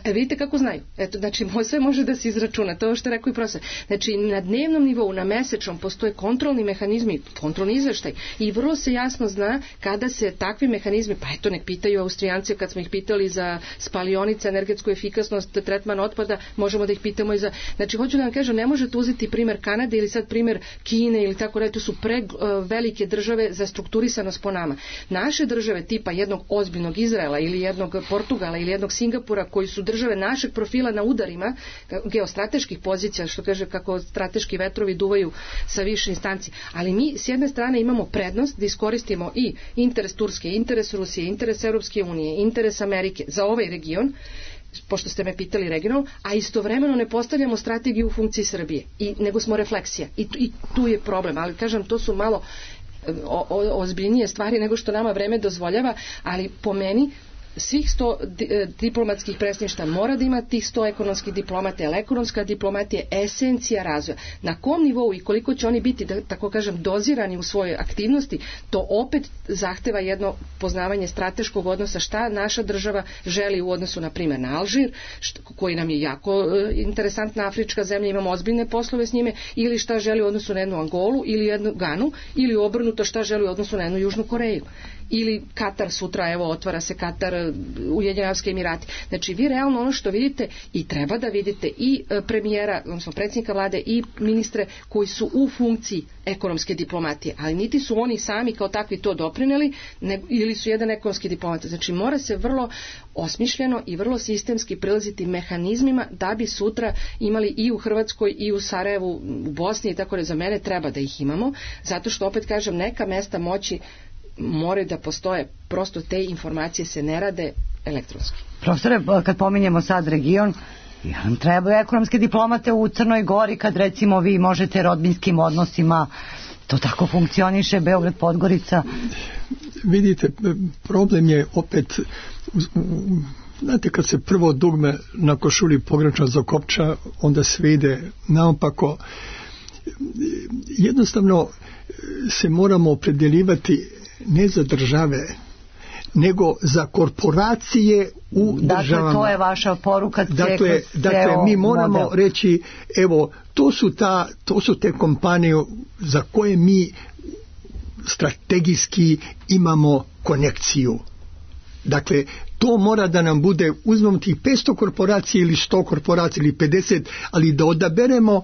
Vidite kako znaju. Eto, znači, sve može da se izračuna. To je što je rekao i profesor. Znači, na dnevnom nivou, na mesečnom postoje kontrolni mehanizmi, kontrolni izveštaj i vrlo se jasno zna kada se takvi mehanizmi, pa eto, nek pitaju Austrijanci kad smo ih pitali za spalionice, energetsku efikasnost, tretman otpada, možemo da ih pitamo i za... Znači, hoću da vam kažem, ne možete uzeti primjer Kanade ili sad primjer Kine ili tako da, to su velike države za strukturisanost po nama. Naše države tipa jednog ozbiljnog Izraela ili jednog Portugala ili jednog Singapura koji su države našeg profila na udarima geostrateških pozicija, što kaže kako strateški vetrovi duvaju sa više instanci. Ali mi s jedne strane imamo prednost da iskoristimo i interes Turske, interes Rusije, interes Europske unije, interes Amerike za ovaj region, pošto ste me pitali regionalno, a istovremeno ne postavljamo strategiju u funkciji Srbije, nego smo refleksija. I tu je problem, ali kažem, to su malo ozbiljnije stvari nego što nama vreme dozvoljava, ali po meni svih 100 diplomatskih predstavništva mora da ima tih 100 ekonomskih diplomata, jer ekonomska diplomatija je esencija razvoja. Na kom nivou i koliko će oni biti, da tako kažem, dozirani u svojoj aktivnosti, to opet zahteva jedno poznavanje strateškog odnosa, šta naša država želi u odnosu, na primjer, na Alžir, koji nam je jako interesantna afrička zemlja, imamo ozbiljne poslove s njime, ili šta želi u odnosu na jednu Angolu, ili jednu Ganu, ili obrnuto šta želi u odnosu na jednu Južnu Koreju. Ili Katar sutra, evo, otvara se Katar, Ujedinjeni Arapski Emirati. Znači, vi realno ono što vidite i treba da vidite i premijera, odnosno predsjednika vlade i ministre koji su u funkciji ekonomske diplomatije, ali niti su oni sami kao takvi to doprineli, ili su jedan ekonomski diplomat. Znači, mora se vrlo osmišljeno i vrlo sistemski prilaziti mehanizmima da bi sutra imali i u Hrvatskoj i u Sarajevu, u Bosni i tako da, za mene treba da ih imamo, zato što opet kažem, neka mesta moći moraju da postoje, prosto te informacije se ne rade elektronski. Profesore, kad pominjemo sad region, nam trebaju ekonomske diplomate u Crnoj Gori, kad recimo vi možete rodbinskim odnosima, to tako funkcioniše, Beograd, Podgorica. Vidite, problem je opet, znate, kad se prvo dugme na košulji pogrešno zakopča, onda sve ide naopako. Jednostavno se moramo opredjeljivati ne za države, nego za korporacije u državama. Dakle, to je vaša poruka. Dakle, mi moramo model reći, evo, to su te kompanije za koje mi strategijski imamo konekciju. Dakle, to mora da nam bude, uzmemo tih 500 korporacija ili 100 korporacija ili 50, ali da odaberemo.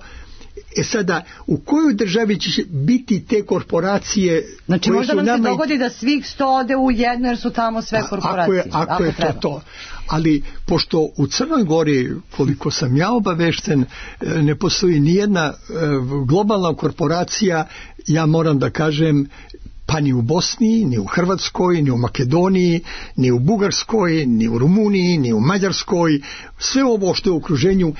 Sada, u kojoj državi će biti te korporacije? Znači, možda nam se dogodi da svih 100 ode u jedno, jer su tamo sve korporacije. Ako je to. Ali, pošto u Crnoj Gori, koliko sam ja obavešten, ne postoji nijedna globalna korporacija, ja moram da kažem, pa ni u Bosni, ni u Hrvatskoj, ni u Makedoniji, ni u Bugarskoj, ni u Rumuniji, ni u Mađarskoj, sve ovo što je u okruženju,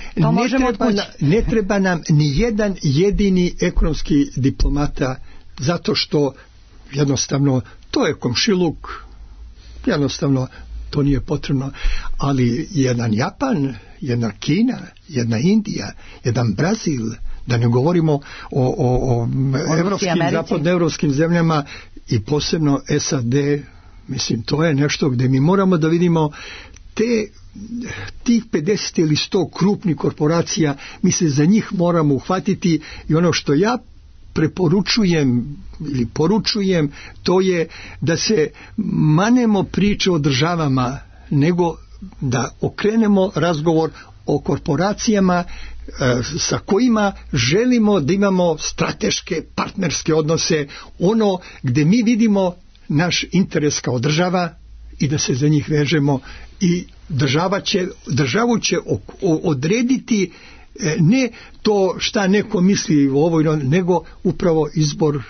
ne treba nam ni jedan jedini ekonomski diplomata, zato što jednostavno to je komšiluk, jednostavno to nije potrebno, ali jedan Japan, jedna Kina, jedna Indija, jedan Brazil, da ne govorimo o evropskim, zapadnoevropskim zemljama i posebno SAD, mislim, to je nešto gdje mi moramo da vidimo tih 50 ili 100 krupnih korporacija, mi se za njih moramo uhvatiti i ono što ja preporučujem ili poručujem, to je da se manemo priče o državama, nego da okrenemo razgovor o korporacijama sa kojima želimo da imamo strateške, partnerske odnose, ono gdje mi vidimo naš interes kao država i da se za njih vežemo i državu će odrediti ne to šta neko misli o ovoj, nego upravo izbor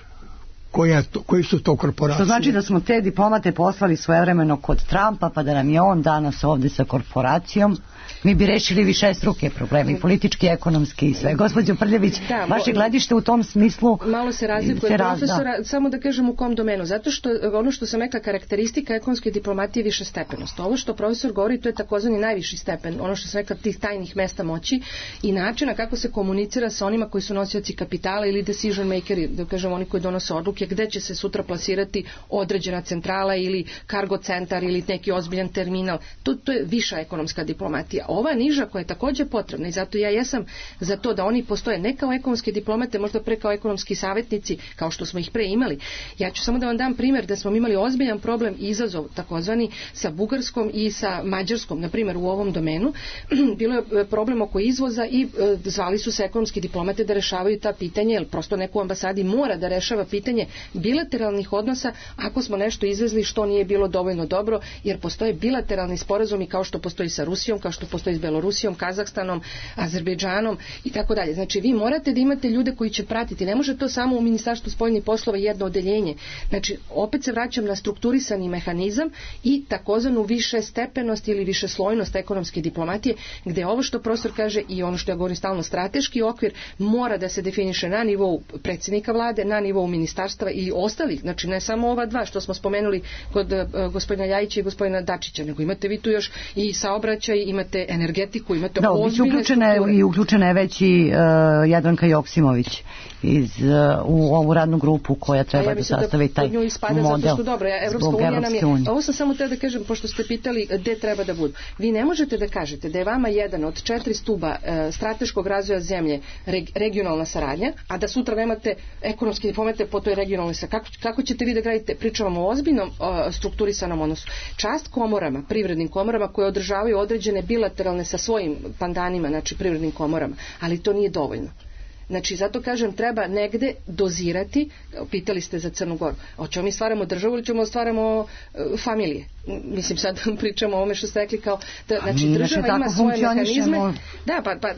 koje su to korporacije. To znači da smo te diplomate poslali svojevremeno kod Trumpa, pa da nam je on danas ovde sa korporacijom, mi bi rešili višestruke probleme, i politički, ekonomski i sve. Gospođo Prljević, vaše gledište u tom smislu malo se razlikuje profesora, samo da kažem u kom domenu, zato što ono što sam rekla, karakteristika ekonomske diplomatije je višestepenost. Ovo što profesor govori, to je takozvani najviši stepen, ono što sam rekla, tih tajnih mesta moći i načina kako se komunicira sa onima koji su nosioci kapitala ili decision makeri, da kažem oni koji donose odluke, gde će se sutra plasirati određena centrala ili kargo centar ili neki ozbiljan terminal. To je viša ekonomska diplomatija. Ova niža koja je također potrebna i zato ja jesam za to da oni postoje ne kao ekonomske diplomate, možda pre kao ekonomski savjetnici, kao što smo ih pre imali. Ja ću samo da vam dam primjer da smo imali ozbiljan problem i izazov takozvani sa Bugarskom i sa Mađarskom, na primjer u ovom domenu. Bilo je problem oko izvoza i zvali su se ekonomski diplomate da rešavaju ta pitanja, jer prosto neko u ambasadi mora da rešava pitanje bilateralnih odnosa ako smo nešto izvezli što nije bilo dovoljno dobro, jer postoje bilateralni sporazumi kao što postoji sa Rusijom, kao što postoji s Belorusijom, Kazahstanom, Azerbejdžanom i tako dalje. Znači vi morate da imate ljude koji će pratiti. Ne može to samo u Ministarstvu spoljnih poslova jedno odeljenje. Znači opet se vraćam na strukturisani mehanizam i takozvanu više stepenost ili više slojnost ekonomske diplomatije, gde ovo što profesor kaže i ono što ja govorim stalno, strateški okvir mora da se definiše na nivou predsjednika vlade, na nivou ministarstva i ostalih. Znači ne samo ova dva što smo spomenuli kod gospodina Ljajića i gospodina Dačića, nego imate vi tu još i saobraćaj, imate energetiku, imate ozbiljne strukture. I uključena je već i Jadranka Joksimović u ovu radnu grupu koja treba da sastavi taj model. Evropska unija nam je, ovo sam samo da kažem, pošto ste pitali gde treba da budu. Vi ne možete da kažete da je vama jedan od 4 stuba strateškog razvoja zemlje regionalna saradnja, a da sutra nemate ekonomski diplomate po toj regionalnoj saradnji. Kako ćete vi da gradite? Pričamo o ozbiljnom strukturisanom odnosu. Čast komorama, privrednim komorama koje održavaju određene bilateralne sa svojim pandanima, znači privrednim komorama, ali to nije dovoljno. Znači, zato kažem, treba negde dozirati, pitali ste za Crnu Goru, hoćemo mi stvaramo državu ili ćemo stvaramo familije? Mislim, sad pričamo o ovome što ste rekli kao, znači država ima svoje mehanizme. Da, pa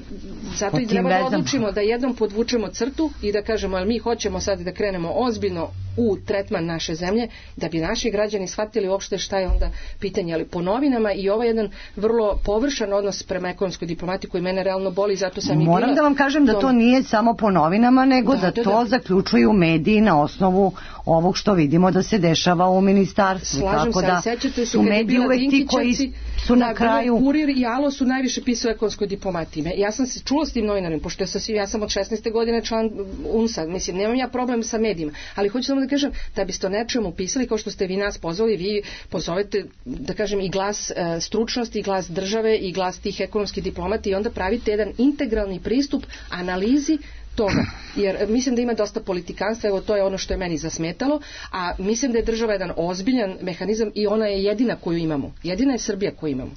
zato i treba da odlučimo da jednom podvučemo crtu i da kažemo, ali mi hoćemo sad da krenemo ozbiljno u tretman naše zemlje, da bi naši građani shvatili uopšte šta je onda pitanje, ali po novinama i ovo je jedan vrlo površan odnos prema ekonomskoj diplomati koji mene realno boli, zato sam i bila. Moram da vam kažem da to nije samo po novinama, nego da to zaključuju mediji na osnovu ovog što vidimo da se dešava u ministarstvu. Slažem se, ali sećate se kad je bila Dinkićevci, su na kraju Kurir i Alo su najviše pisao o ekonomskoj diplomatiji. Ja sam se čula s tim novinarima, pošto ja sam od 16. godine član UNSA, mislim, nemam ja problem sa medijima, ali hoću samo da kažem, da biste o nečemu pisali, kao što ste vi nas pozvali, vi pozovete, da kažem, i glas stručnosti, i glas države, i glas tih ekonomskih diplomata i onda pravite jedan integralni pristup analizi toga, jer mislim da ima dosta politikanstva, evo to je ono što je meni zasmetalo, a mislim da je država jedan ozbiljan mehanizam i ona je jedina koju imamo, jedina je Srbija koju imamo.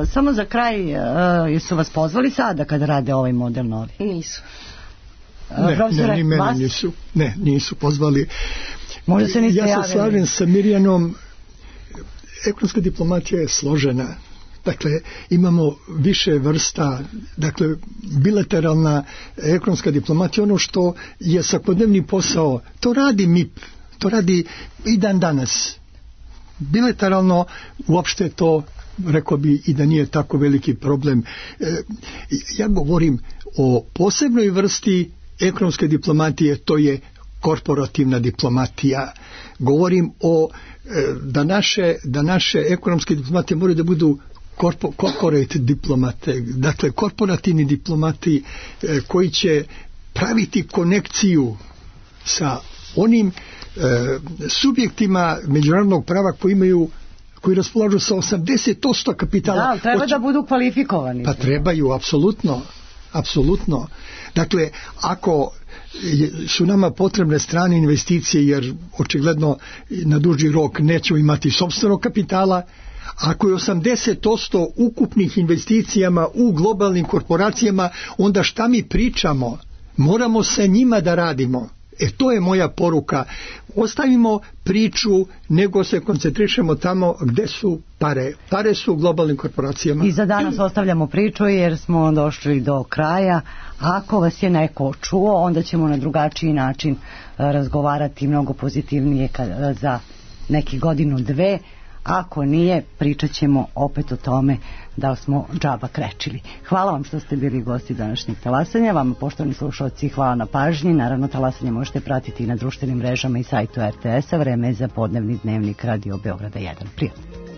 Samo za kraj, jesu vas pozvali sada kada rade ovaj model novi? Nisu. Ni mene nisu. Ne, nisu pozvali. Možda se niste javili. Ja se slažem sa Mirjanom, ekonomska diplomatija je složena. Dakle, imamo više vrsta, dakle, bilateralna ekonomska diplomatija, ono što je svakodnevni posao, to radi MIP, to radi i dan danas. Bilateralno, uopšte to, rekao bi i da nije tako veliki problem. Ja govorim o posebnoj vrsti ekonomske diplomatije, to je korporativna diplomatija. Govorim o da naše ekonomske diplomatije moraju da budu corporate diplomate, dakle korporativni diplomati koji će praviti konekciju sa onim subjektima međunarodnog prava koji raspolažu sa 80% kapitala. Da, treba da budu kvalifikovani. Pa trebaju, apsolutno. Dakle, ako su nama potrebne strane investicije, jer očigledno na duži rok nećemo imati sopstvenog kapitala, ako je 80% ukupnih investicijama u globalnim korporacijama, onda šta mi pričamo? Moramo sa njima da radimo. To je moja poruka. Ostavimo priču, nego se koncentrišemo tamo gde su pare. Pare su u globalnim korporacijama. I za danas ostavljamo priču jer smo došli do kraja. Ako vas je neko čuo, onda ćemo na drugačiji način razgovarati mnogo pozitivnije za neki godinu, dve. Ako nije, pričat ćemo opet o tome da smo džaba krečili. Hvala vam što ste bili gosti današnjeg talasanja. Vama, poštovani slušalci, hvala na pažnji. Naravno, talasanje možete pratiti i na društvenim mrežama i sajtu RTS-a. Vreme je za podnevni dnevnik Radio Beograda 1. Prijatno.